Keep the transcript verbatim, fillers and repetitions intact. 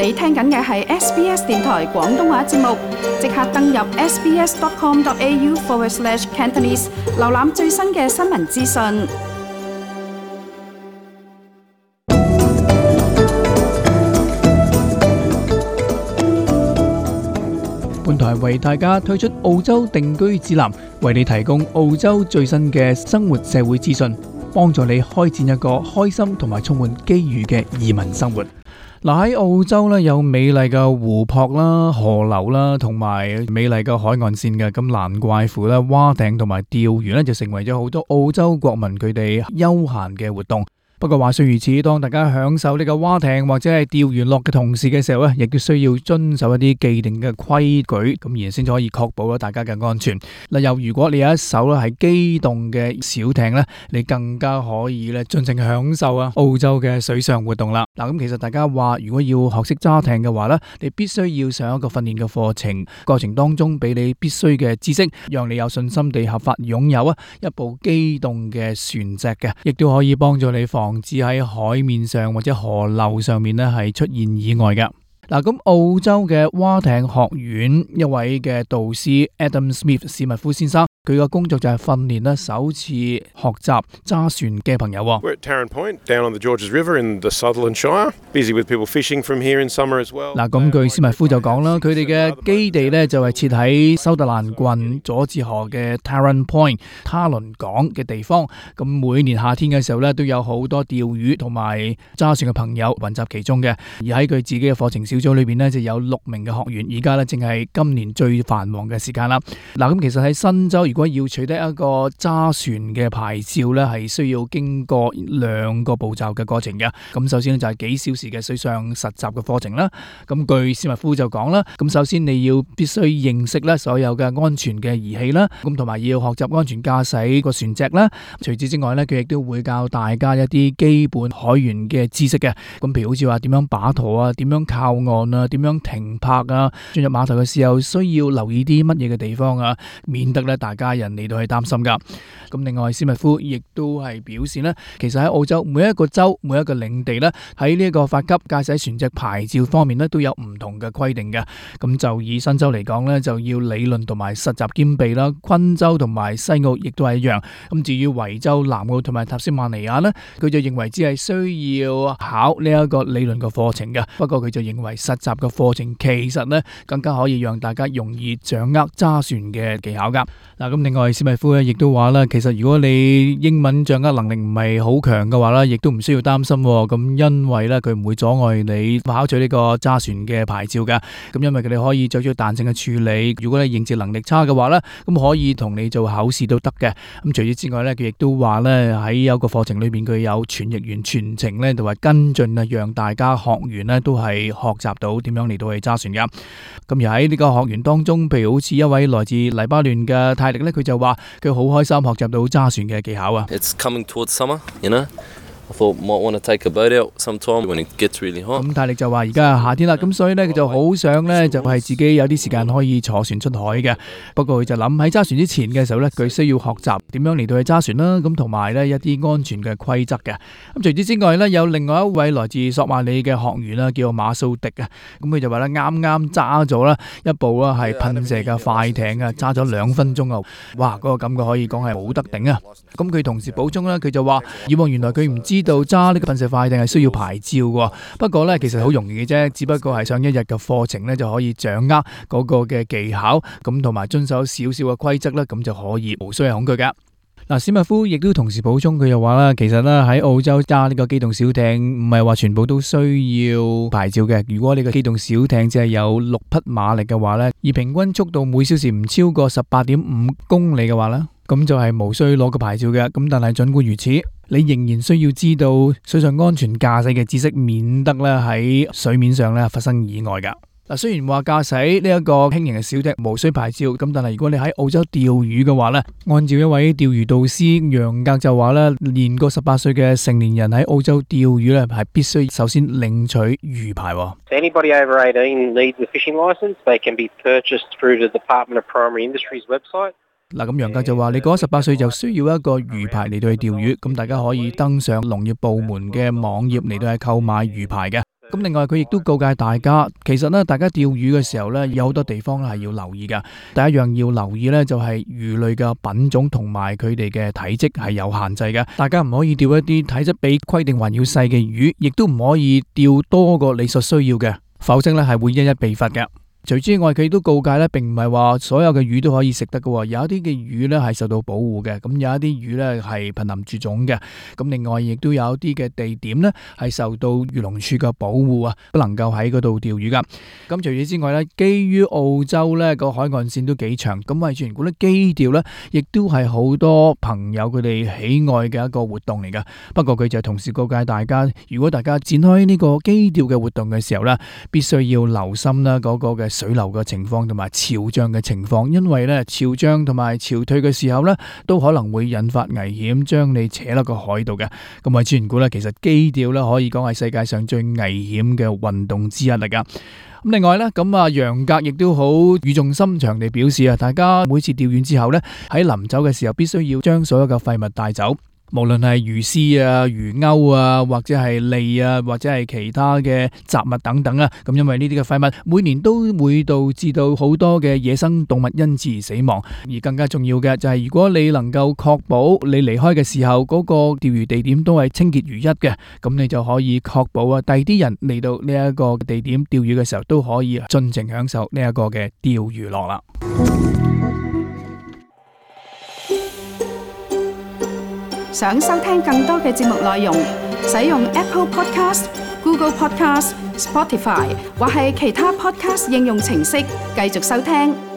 你聽緊嘅係 S B S 電台廣東話節目，即刻登入 sbs.com.au forward slash Cantonese， 瀏覽最新嘅新聞資訊。本台為大家推出澳洲定居指南，為你提供澳洲最新嘅生活社會資訊，幫助你開展一個開心同埋充滿機遇嘅移民生活。嗱，喺澳洲咧有美麗嘅湖泊啦、河流啦，同埋美麗嘅海岸線嘅，咁難怪乎咧划艇同埋釣魚咧就成為咗好多澳洲國民佢哋休閒嘅活動。不過話說如此，當大家享受呢個划艇或者係釣魚樂嘅同時嘅時候咧，亦都需要遵守一啲既定嘅規矩，咁而先至可以確保咗大家嘅安全。嗱，又如果你有一艘咧係機動嘅小艇咧，你更加可以咧盡情享受啊澳洲嘅水上活動啦。嗱，咁其實大家話如果要學識揸艇嘅話咧，你必須要上一個訓練嘅課程，過程當中俾你必須嘅知識，讓你有信心地合法擁有啊一部機動嘅船隻嘅，亦都可以幫助你防防止喺海面上或者河流上面咧係出現意外嘅。嗱，咁澳洲嘅划艇學院一位嘅導師 Adam Smith 史密夫先生，佢嘅工作就係訓練咧首次學習揸船嘅朋友。We're at Tarrant Point, down on the Georges River in the Sutherland Shire. Busy with people fishing from here in summer as well. 嗱，咁據史密夫就講啦，佢哋嘅基地咧就係設喺修特蘭郡佐治河嘅 Tarrant Point 他倫港嘅地方。咁每年夏天嘅時候咧，都有好多釣魚同埋揸船嘅朋友混集其中嘅。而喺佢自己嘅課程小組裏邊咧，就有六名嘅學員。而家咧正係今年最繁忙嘅時間啦。嗱，咁其實喺新州，如果要取得一個揸船嘅牌照咧，係需要經過兩個步驟嘅過程嘅。咁首先咧就係幾小時嘅水上實習嘅課程啦。咁據史密夫就講啦，咁首先你要必須認識咧所有嘅安全嘅儀器啦，咁同埋要學習安全駕駛個船隻啦。除此之外咧，佢亦都會教大家一啲基本海員嘅知識嘅。咁譬如好似話點樣把舵啊，點樣靠岸啊，點樣停泊啊，進入碼頭嘅時候需要留意啲乜嘢嘅地方啊，免得咧大家人嚟到去擔心噶。咁另外史密夫亦都係表示呢，其實喺澳洲每一個州每一個領地呢，喺呢一個發給駕駛船隻牌照方面呢，都有唔同嘅規定嘅。咁就以新州嚟講呢，就要理論同埋實習兼備啦。昆州同埋西澳亦都係一樣。咁至於維州、南澳同埋塔斯馬尼亞呢，佢就認為只係需要考呢一個理論嘅課程嘅。不過佢就認為實習嘅課程其實呢，更加可以讓大家容易掌握揸船嘅技巧噶。嗱，咁另外史密夫咧亦都話啦，其實如果你英文掌握能力唔係好強嘅話咧，亦都唔需要擔心。咁因為咧佢唔會阻礙你考取呢個揸船嘅牌照噶。咁因為佢哋可以作出彈性嘅處理。如果你認字能力差嘅話咧，咁可以同你做考試都得嘅。咁除此之外咧，佢亦都話咧喺有個課程裏邊佢有傳譯員全程咧就話跟進啊，讓大家學員咧都係學習到點樣嚟到去揸船噶。咁而喺呢個學員當中，譬如好似一位來自黎巴嫩嘅泰力咧，佢就話佢好開心學習到揸船嘅技巧啊。It's coming towards summer, you know. I thought might want to take a boat out sometime when it gets really hot. 咁泰力就話而家係夏天啦，咁所以咧佢就好想咧就係自己有啲時間可以坐船出海嘅。不過佢就諗喺揸船之前嘅時候咧，佢需要學習點樣嚟到去揸船啦，咁同埋咧一啲安全嘅規則嘅。咁除此之外咧，有另外一位來自索馬里嘅學員啦，叫馬蘇迪啊。咁佢就話咧啱啱揸咗啦一部啦係噴射嘅快艇啊，揸咗兩分鐘啊，哇！嗰個感覺可以講係冇得頂啊。咁佢同時補充啦，佢就話以往原來佢唔知道揸呢個噴射快艇係需要牌照嘅，不過呢，其實好容易嘅啫，只不過係上一日嘅課程呢，就可以掌握嗰個嘅技巧，咁同埋遵守少少嘅規則呢，咁就可以無需係恐懼噶。嗱，史密夫亦都同時補充，佢又話啦，其實呢，喺澳洲揸呢個機動小艇唔係話全部都需要牌照嘅。如果你個機動小艇只係有六匹馬力嘅話呢，而平均速度每小時唔超過十八點五公里嘅話呢，咁就係無需攞個牌照嘅。咁但係盡管如此，你仍然需要知道水上安全駕駛嘅知識，免得咧喺水面上咧發生意外噶。嗱，雖然話駕駛呢一個輕型嘅小艇無需牌照，咁但係如果你喺澳洲釣魚嘅話咧，按照一位釣魚導師楊格就話咧，年過十八歲嘅成年人喺澳洲釣魚咧係必須首先領取魚牌。Anybody over eighteen needs a fishing license. They can be purchased through the Department of Primary Industries website. 嗱，咁楊格就話你過咗十八歲就需要一個魚牌嚟到去釣魚，咁大家可以登上農業部門嘅網頁嚟到去購買魚牌嘅。咁另外佢亦都告誡大家，其實咧大家釣魚嘅時候咧，有好多地方咧係要留意㗎。第一樣要留意咧就係魚類嘅品種同埋佢哋嘅體積係有限制嘅，大家唔可以釣一啲體質比規定還要細嘅魚，亦都唔可以釣多過你所需要嘅，否則咧係會一一被罰嘅。除此之外，佢都告誡咧，並唔係話所有嘅魚都可以食得嘅，有一啲嘅魚咧係受到保護嘅，咁有一啲魚咧係瀕臨絕種嘅，咁另外亦都有一啲嘅地點咧係受到漁農署嘅保護啊，不能夠喺嗰度釣魚噶。咁除此之外咧，基於澳洲咧個海岸線都幾長，咁為全股咧磯釣咧，亦都係好多朋友佢哋喜愛嘅一個活動嚟噶。不過佢就同時告誡大家，如果大家展開呢個磯釣嘅活動嘅時候咧，必須要留心啦嗰個嘅水流嘅情況同埋潮漲嘅情況，因為咧潮漲同埋潮退嘅時候咧，都可能會引發危險，將你扯落個海度嘅。咁啊，自然估咧，其實磯釣咧可以講係世界上最危險嘅運動之一嚟噶。咁另外咧，咁啊楊格亦都好語重心長地表示啊，大家每次釣完之後咧，喺臨走嘅時候，必須要將所有嘅廢物帶走。無論係魚絲啊、魚鈎啊，或者係脷啊，或者係其他嘅雜物等等啊，咁因為呢啲嘅廢物每年都會導致到好多嘅野生動物因此而死亡，而更加重要嘅就係如果你能夠確保你離開嘅時候嗰個釣魚地點都係清潔如一嘅，咁你就可以確保啊第二啲人嚟到呢一個地點釣魚嘅時候都可以盡情享受呢一個嘅釣魚樂啦。想收聽更多嘅節目內容，使用 Apple Podcast、Google Podcast、Spotify 或係其他 Podcast 應用程式繼續收聽。